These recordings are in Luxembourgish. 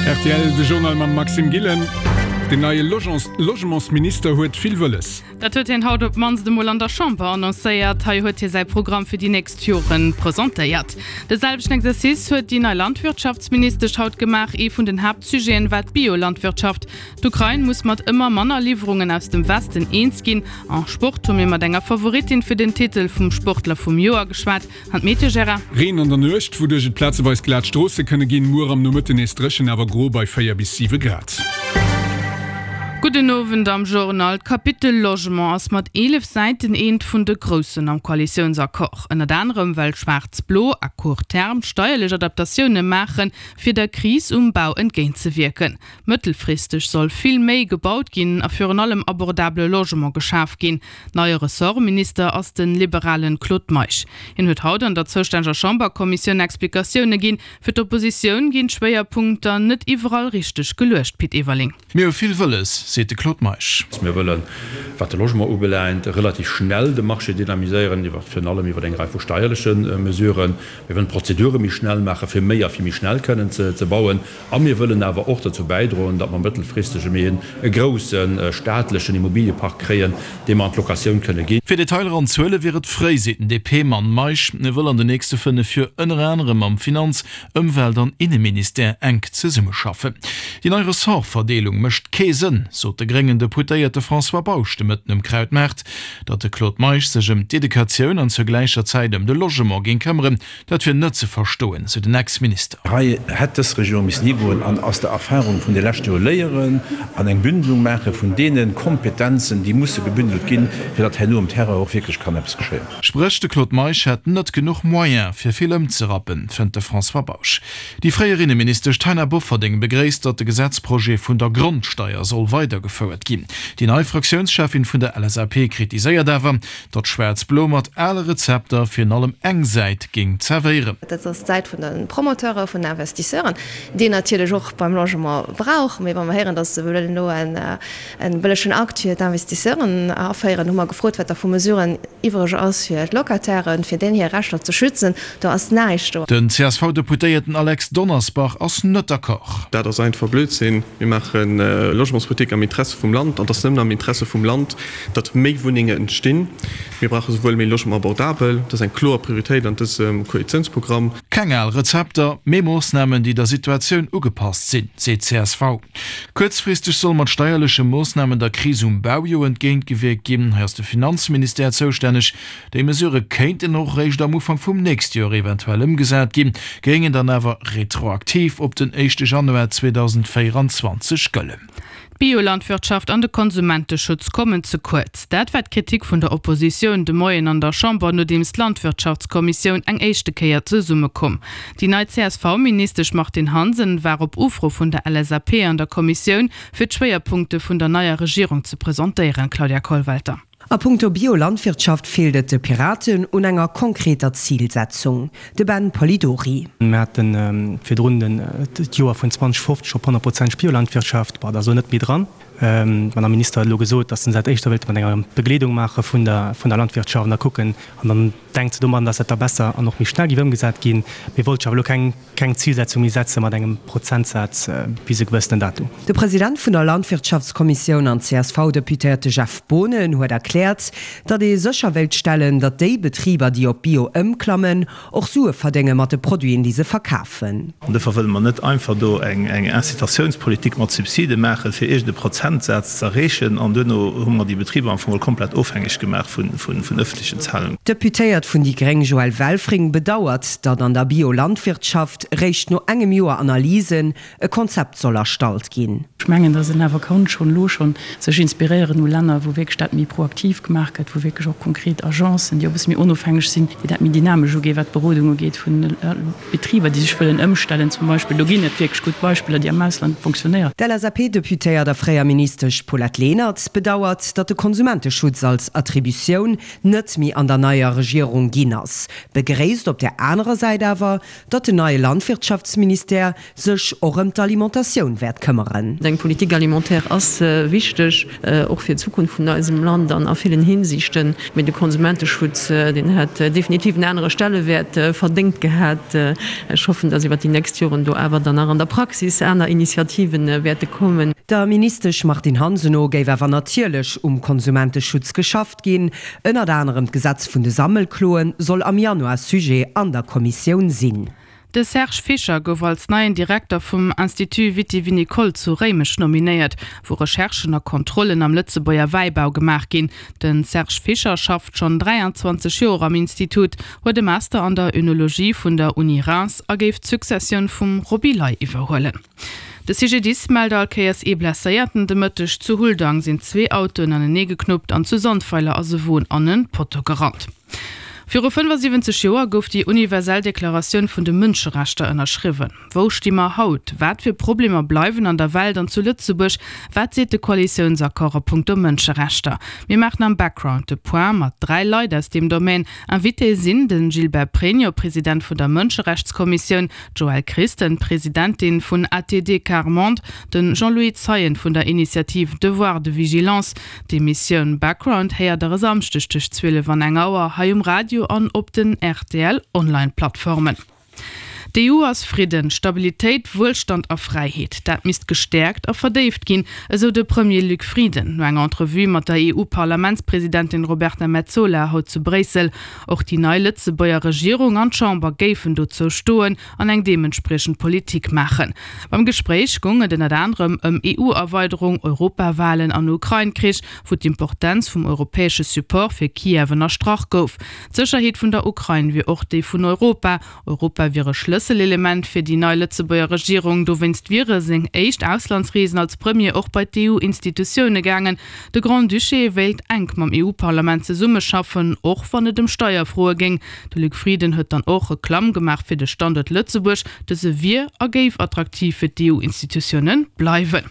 Rtl, De Journal mam Maxime Gillen. Den neie Logementsminister huet vill wëlles. Dat huet hien haut op d'mannst emol an der Chamber annoncéiert. Hei huet hie säi Programm fir déi nächst Jore presentéiert. De selwechten Exercice huet déi nei Landwirtschaftsministesch haut gemaach. Ee vun den Haaptsujeten war d'Biolandwirtschaft. D'Ukrain muss mat ëmmer manner Liwwerungen aus dem Westen eens ginn. En Sport hu mir mat enger Favoritin fir den Titel vum Sportler vum Joer geschwat. An d'Meteo, Gérard? Reen an der Nuecht, wouduerch et plazeweis glat Stroosse kënne ginn. Muer am Nomëtten nees dréchen, awer gro bei 4 bis 7 Grad. Gudden Owend am Journal. D'Kapitel Logement ass mat 11 Säiten eent vun de groussen am Koalitiounsaccord. Ënnert anerem well Schwaarz-Blo à court terme steierlech Adaptatioune maachen, fir der Kris um Bau entgéintzewierken. Mëttelfristeg soll vill méi gebaut ginn a virun allem abordabele Logement geschaf ginn. Neie Ressortminister ass de liberalen Claude Meisch. Hien huet haut an der zoustänneger Chamberkommissioun Explikatioune ginn. Fir d'Oppositioun ginn d'Schwéierpunkter net iwwerall richteg geluecht, Pit Everling. Mir hu vill wëlles, seet de Claude Meisch. Mir wëllen, wat de Logement ubelaangt, relativ schnell de Marché dynamiséieren, iwwer virun allem iwwer eng Rei vu steierleche Mesuren. Mir wëllen d'Prozedure méi schnell maachen, fir méi a fir méi schnell kënnen ze bauen. A mir wëllen awer och dozou bäidroen, datt mer mëttelfristeg méi e grousse staatlechen Immobiliepark kréien, dee mer an d'Locatioun kënne ginn. Fir Detailer an Zuele wier et fréi, seet den DP-Mann Meisch. E wëll an den nächste 5 Joer ënner anerem mam Finanz-, Ëmwelt an Inneministère enk zesummeschaffen. Déi nei Ressortverdeelung mécht kee Sënn, sot de gréngen Deputéierte François Bausch de Mëtten um Krautmaart. Datt de Claude Meisch sech ëm d'Educatioun an zur gläicher Zäit ëm de Logement géing këmmeren, Dat wier net ze verstoen, sou den Ex-Minister. Hei hätt dës Regierung missen higoen an aus der Erfahrung vun de leschte Jore léieren an eng Bündelung maache vun deene Kompetenzen, déi musse gebündelt ginn, fir datt herno um Terrain och wierklech kann eppes geschéien. Spréch, de Claude Meisch hätt net genuch Moyen, fir vill ëmzerappen, fënnt de François Bausch. Déi fréier Inneministesch Taina Bofferding begréisst, datt de Gesetzprojet vun der Grondsteier soll weidergefouert ginn. Déi nei Fraktiounscheffin vun der LSAP kritiséiert awer, Datt Schwaarz-Blo mat ale Rezepter virun allem eng Säit géing zerwéieren. Dat ass d'Säit vun de Promoteure, vun den Investisseuren, déi een natierlech och beim Logement brauch. Mee wa mer héieren, datt se wëllen elo e bëllegen Akt fir d'Investisseuren aféieren, hu mer gefrot, wat da vu Mesuren iwwereg ass fir d'Locatairen, fir deenen hir Rechter ze schützen. Do ass näischt do. Den CSV-Deputéierten Alex Donnersbach ass net d'accord. Dat ass einfach Blödsinn. Mir maache Logementspolitik am Interesse vum Land an et ass nëmmen am Interesse vum Land, datt méi Wunnenge entstinn. Mir brauche souwuel méi Logement abordabel, dat ass eng kloer Prioritéit an dësem Koalitiounsprogramm. Keng al Rezepter, mee Moossnamen, déi der Situatioun ugepasst sinn, seet csv. Kuerzfristeg soll mat steierleche Moossnamen der Kris um Bau jo entgéintgewierkt ginn. Hei ass de Finanzministère zoustänneg. Déi Mesurë kéinten och eréischt am Ufank vum nächste Joer eventuell ëmgesat ginn, géingen dann awer retroaktiv op den éischte Januar 2024 gëllen. D'Biolandwirtschaft an de Konsumenteschutz kommen ze kuerz. Dat war d'Kritik vun der Oppositioun de Moien an der Chamber, nodeems d'Landwirtschaftskommissioun eng éischte Kéier zesummekomm. Déi nei CSV-Ministesch Martine Hansen war op Ufro vun der LSAP an der Kommissioun, fir d'Schwéierpunkte vun der neier Regierung ze presentéieren. Claudia Kollwelter. A punkto Biolandwirtschaft feelt et de Piraten un enger konkreter Zilsetzung. De Ben Polidori. Mir hate virdrun d'Joer vun 2050 op 100 Prozent Biolandwirtschaft. Bon, dat ass elo net méi dran. D'Madame Minister huet elo gesot, datt se dat éischter wéilte mat enger Begleedung maache vun der Landwirtschaft an da kucken. An dann denkt se domadden, datt dat da besser an och méi schnell géif ëmgesat ginn. Mee wollt sech awer elo keng. Keng Zilsetzung méi setze mat engem Prozentsaz bis e gewëssenen Datum. De President vun der Landwirtschaftskommissioun an CSV-Deputéierte Jeff Boonen huet erkläert, datt ee sécher wéilt stellen, datt déi Betriber, déi op Bio ëmklammen, och Sue verdénge mat de Produiten, déi se verkafen. An duerfir wëlle mer net einfach do eng Incitatiounspolitik mat Subside maachen, fir iergend e Prozentsaz ze erreechen, an duerno hu mer déi Betriber am Fong komplett ofhängeg gemaach vun ëffentlechen Zahlungen. D'Deputéiert vun déi gréng Joëlle Welfring bedauert, datt an der Biolandwirtschaft réischt no engem Joer Analysen e Konzept soll erstallt ginn. Ech mengen, datt een awer kann schonn elo schonn sech inspiréieren u Länner, wou wierklech dat méi proaktiv gemaach gëtt, wou wierklech och konkret Agencen, déi och e bësse méi onofhängeg sinn, déi dat méi dynamesch uginn, wat d'Berodung ugeet vun Betriber, déi sech wëllen ëmstellen zum Beispill. Do ginn et wierklech gutt Beispiller, déi am Ausland fonctionnéieren. D'LSAP-Deputéiert a fréier. DP-Ministesch Paulette Lenert bedauert, datt de Konsumenteschutz als Attributioun net méi an der neier Regierung ginn ass, begréisst op där anerer Säit awer, datt den neie Landwirtschaftsministère sech och ëm d'Alimentatioun wäert këmmeren. Eng Politique alimentaire ass wichteg, och fir d'Zukunft vun eisem Land an a villen Hinsichten. Mee de Konsumenteschutz, deen hätt definitiv en anere Stellewäert verdéngt gehat. Ech hoffen, dass iwwert déi nächst Joren do awer dann nach an der Praxis aner Initiative wäerte kommen. Der Ministesch Martine Hansen no géif awer natierlech um Konsumenteschutz geschafft ginn. Ënnert anerem d'Gesetz vun de Sammelkloe soll am Januar Sujet an der Kommissioun sinn. De Serge Fischer gouf als neien Direkter vum Institut Viti-Vinicole zu Réimech nominéiert, wou Recherchen a Kontrollen am Lëtzebuerger Wäibau gemaach ginn. De Serge Fischer schafft schonn 23 Joer am Institut, huet e Master an der Önologie vun der Uni Reims a géif d'Successioun vum Roby Ley iwwerhuelen. De CGDIS mellt all Kéiers ee Blesséierten. De Mëtteg zu Huldang sinn zwee Autoen aneneegeknuppt an zu Sandweiler ass e Won an e Potto gerannt. Viru 75 Joer gouf déi universell Deklaratioun vun de Mënscherechter ënnerschriwwen. Wou sti mer haut? Wat fir Problemer bleiwen an der Welt an zu Lëtzebuerg? Wat seet de Koalitiounsaccord a punkto Mënscherechter? Mir maachen am Background de Point mat 3 Leit aus deem Domaine. Invitéë sinn de Gilbert Pregno, President vun der Mënscherechtskommissioun, d'Joëlle Christen, Presidentin vun ATD Quart Monde, de Jean-Louis Zeien vun der Initiative Devoir de vigilance, D'Emissioun Background héiert der e Samschdeg tëscht 12 an eng Auer hei um Radio an op den rtl Online Plattformen. D'EU ass Fridden, Stabilitéit, Wuelstand a Fräiheet. Dat misst gestäerkt a verdéift ginn, esou de Premier Luc Frieden no enger Entrevue mat der EU-Parlamentspresidentin Roberta Metsola haut zu Bréissel. Och déi nei Lëtzebuerger Regierung an d'Chamber géifen dozou stoen an eng deementspriechend Politik maachen. Beim Gespréich goung et ënnert anerem ëm EU-Erweiderung, Europawalen an Ukrain-Krich, wou d'Importenz vum europäesche Support fir Kiew ënnerstrach gouf. D'Sécherheet vun der Ukrain wier och déi vun Europa. Europa wier e Schlësselelement fir déi nei Lëtzebuerger Regierung. Dowéinst wiere seng éischt Auslandsreesen als Premier och bei d'EU-Institutioune gaangen. De Grand-Duché wéilt enk mam EU-Parlament zesummeschaffen, och wann et ëm Steierfroe géing. De Luc Frieden huet dann och Reklamm gemaach fir de Standuert Lëtzebuerg, dëse wier a géif attraktiv fir d'EU-Institutioune bleiwen.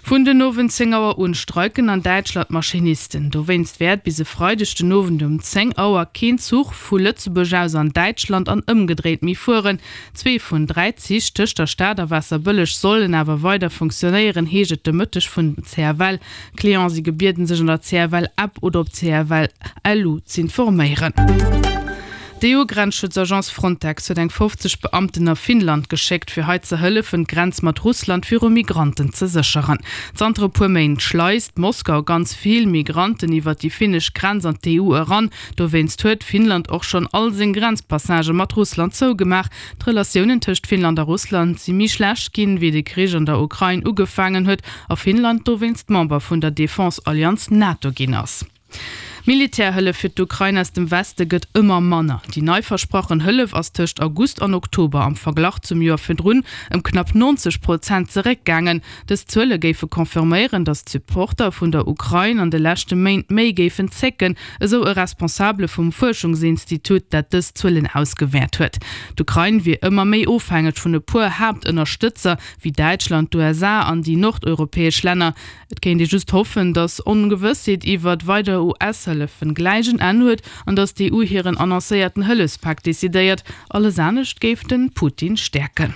Vun den Owend 10 Auer un streiken an Däitschland d'Maschinisten. Dowéinst wäert bis e Freideg den Owend um 10 Auer keen Zuch vu Lëtzebuerg aus an Däitschland an ëmgedréit méi fueren. Zwee vun 3 Zich tëscht der Stad a Waasserbëlleg sollen awer weider funktionéieren, heescht et de Mëtteg vun den CFL. Clienten si gebieden, sech an der CFL-App oder op CFL-LU z'informéieren. D'EU-Grenzschutzagence Frontex huet eng 50 Beamten a Finnland geschéckt, fir hei ze hëllefen, d'Grenz mat Russland viru Migranten ze sécheren. Zanter e puer Méint schleist Moskau ganz vill Migranten iwwer déi finnesch Grenz an d'EU eran. Dowéinst huet Finnland och schonn all seng Grenzpassagë mat Russland zougemaach. D'Relatiounen tëscht Finnland a Russland si méi schlecht ginn, wéi de Krich an der Ukrain ugefaangen huet a Finnland dowéinst Member vun der Defense-Allianz NATO ginn ass. Militärhëllef fir d'Ukrain aus dem Weste gëtt ëmmer manner. Déi nei versprachen Hëllef ass tëscht August an Oktober am Verglach zum Joer virdrun ëm knapp 90 Prozent zeréckgaangen. Dës Zuele géife confirméieren, datt d'Supporter vun der Ukrain an de leschte Méint méi géifen zécken, esou e Responsabele vum Fuerschungsinstitut, dat dës Zuelen ausgewäert huet. D'Ukrain wier ëmmer méi ofhängeg vun e puer Haaptënnerstëtzer, wéi Däitschland, d'USA an déi nordeuropäesch Länner. Et kéint ee just hoffen, datt Ongewëssheet iwwert weider US-Hëllefen gläich en Enn huet an datt d'EU hiren annoncéierten Hëllefspak decidéiert. Alles anescht géif de Putin stäerken.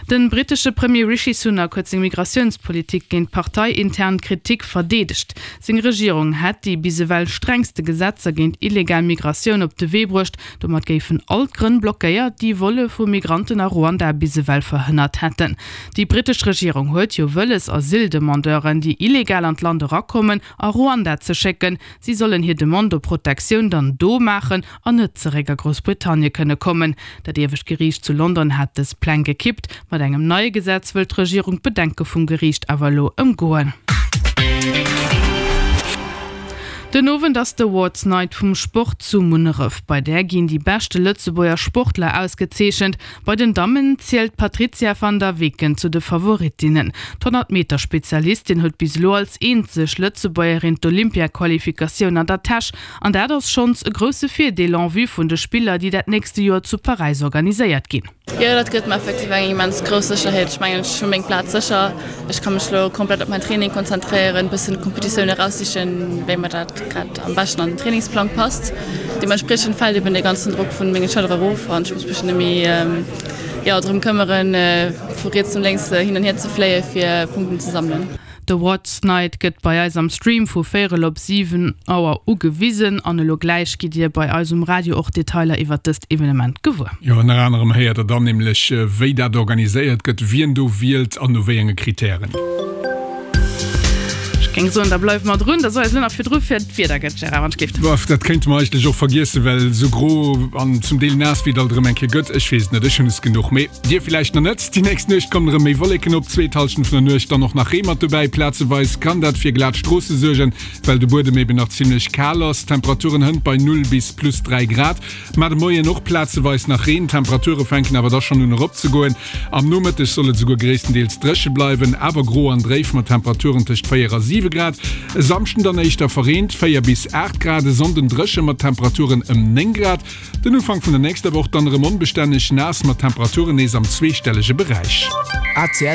De brittesche Premier Rishi Sunak huet seng Migratiounspolitik géint parteiintern Kritik verdeedegt. Seng Regierung hätt déi bis ewell strengste Gesetzer géint illegal Migratioun op de Wee bruecht. Domat géifen all d'Grënn blockéiert, déi Volle vu Migranten a Ruanda bis ewell verhënnert hätten. Déi brittesch Regierung huet jo wëlles, Asyldemandeuren, déi illegal an d'Land erakommen, a Ruanda ze schécken. Si sollen hir Demande op Protektioun dann do maachen an net zeréck a Groussbritannie kënne kommen. Dat iewescht Geriicht zu London hat dës Pläng gekippt. Mat engem neie Gesetz wëll d'Regierung d'Bedenke vum Geriicht awer elo ëmgoen. Den Owend ass d'Awards Night vum Sport zu Munneref. Bei där ginn déi beschte Lëtzebuerger Sportler ausgezeechent. Bei den Dammen zielt d'Patrizia van der Weken zu de Favorittinnen. D'Honnertmeter-Spezialistin huet bis elo als eenzeg Lëtzebuergerin d'Olympia-Qualifikatioun an der Täsch. An dat ass schonns e grousse Virdeel en vue vun de Spiller, déi dat nächste Joer zu Paräis organiséiert ginn. Jo, dat gëtt mer effektiv eng immens grouss Sécherheet. Ech mengen, ech hu meng Plaz sécher. Ech ka mech elo komplett op mäin Training konzentréieren, bëssen d'Kompetitioun eraussichen, wéi mer dat grad am beschten an den Trainingsplang passt. Deementspriechend fält eben dee ganzen Drock vun menge Schëllere erof an ech muss mech net méi, jo, drëm këmmeren, vu riets no lénks hin an hier ze fléie fir Punkten ze sammelen. D'Awards Night gëtt bei eis am Stream vu véierel op 7 Auer ugewisen an elo gläich gitt dir bei eis um Radio och Detailer iwwert dëst Evenement gewuer. Jo, ënner anerem héiert der dann nämlech wéi dat organiséiert gëtt, wien do wielt an no wéi enge Kritären. Ech géing soen, da bleiwe mer drun. Da soe eis elo nach virdru fir d'Wieder gëtt, Gérard, wann ech géif. Boah, dat kéinte mer eigentlech och vergiessen, well esou gro an zum Deel naass wéi et alt erëm eng Kéier gëtt, ech weess et net, ech hunn es genuch. Mee Dir villäicht nach net. Déi nächst Nuecht kommen erëm méi Wolleken op, zweet Hallschent vun der Nuecht dann och nach Ree mat dobäi. Plazeweis kann dat fir glat Stroosse suergen, well de Buedem eben nach zimmlech kal ass. D'Temperaturen hënt bei 0 bis plus 3 Grad, ma de Moien och plazeweis nach Reen. D'Temperature fänken awer da schonn un eropzegoen. Am Nomëtteg soll et esouguer gréisstendeels dréche bleiwen, awer gro an dréif mat Temperaturen tëscht 4 a 7 Grad. E Samschden dann éischter verreent, 4 bis 8 Grad, e Sonnden dréche mat Temperaturen ëm 9 Grad. Den Ufank vun der nächster Woch dann erëm onbestänneg naass mat Temperaturen nees am zweestellege Beräich. ACL.